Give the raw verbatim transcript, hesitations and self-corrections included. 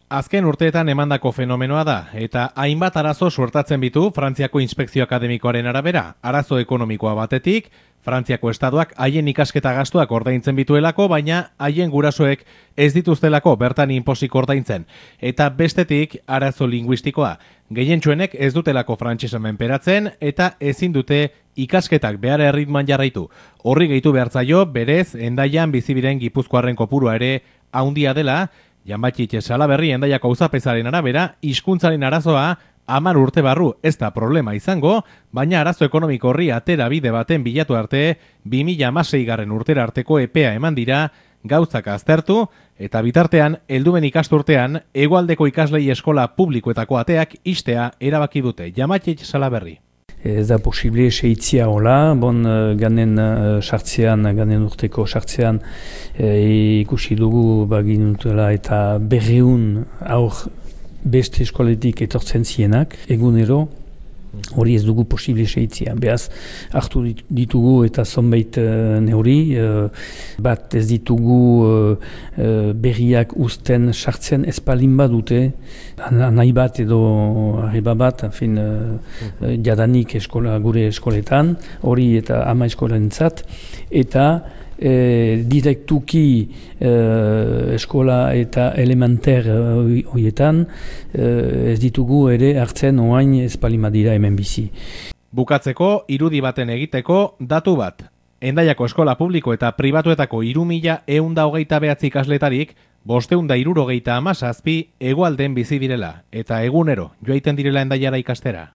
Azken urteetan emandako fenomenoa da, eta hainbat arazo suertatzen bitu Frantziako Inspekzio Akademikoaren arabera. Arazo ekonomikoa batetik, Frantziako estatuak haien ikasketa gastuak ordaintzen bituelako, baina haien gurasoek ez dituztelako bertan inpozik ordaintzen. Eta bestetik, arazo linguistikoa. Gehientsuenek ez dutelako frantsesa menperatzen eta ezin dute ikasketak behar erritman jarraitu. Horri gehitu behartzaio, berez, Hendaian bizibiren gipuzkoarren kopurua ere haundia dela. Janbatxitxe Salaberri Hendaiako auzapezaren arabera, hizkuntzaren arazoa hamar urte barru ez da problema izango, baina arazo ekonomiko horri atera bide baten bilatu arte, bi mila hamaseigarren urtera arteko epea eman dira, gauzak aztertu, eta bitartean, heldumen ikasturtean, hegoaldeko ikaslei eskola publikoetako ateak ixtea erabaki dute. Janbatxitxe Salaberri. Ez da posible seitzia hola, bon ganen sartzean, ganen urteko sartzean e, ikusi dugu baginutela eta berreun aur beste eskoletik etortzen zienak, egunero hori ez dugu posible seitzia. Beaz, hartu ditugu eta zonbait uh, neuri, uh, bat ez ditugu uh, uh, berriak uzten sartzen espalin badute, nahi bat edo arriba bat, fin, uh, jadanik eskola, gure eskoletan, hori eta ama eskolentzat, eta E, direktuki e, eskola eta elementer horietan e, ez ditugu ere hartzen oain espalima dira hemen bizi. Bukatzeko, irudi baten egiteko datu bat. Hendaiako eskola publiko eta pribatuetako hiru mila ehun eta hogeita bederatzi ikasletarik bostehun eta hirurogeita hamazazpi hegoalden bizi direla eta egunero joaiten direla Hendaiara ikastera.